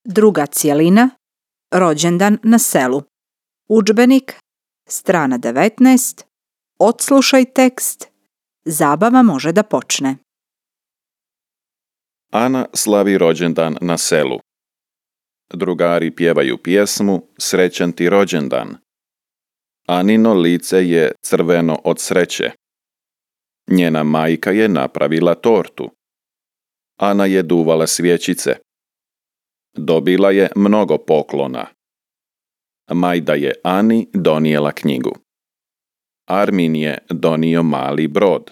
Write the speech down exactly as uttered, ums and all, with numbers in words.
Druga cjelina, rođendan na selu. Udžbenik, strana devetnaest, odslušaj tekst, zabava može da počne. Ana slavi rođendan na selu. Drugari pjevaju pjesmu Srećan ti rođendan. Anino lice je crveno od sreće. Njena majka je napravila tortu. Ana je duvala svjećice. Dobila je mnogo poklona. Majda je Ani donijela knjigu. Armin je donio mali brod.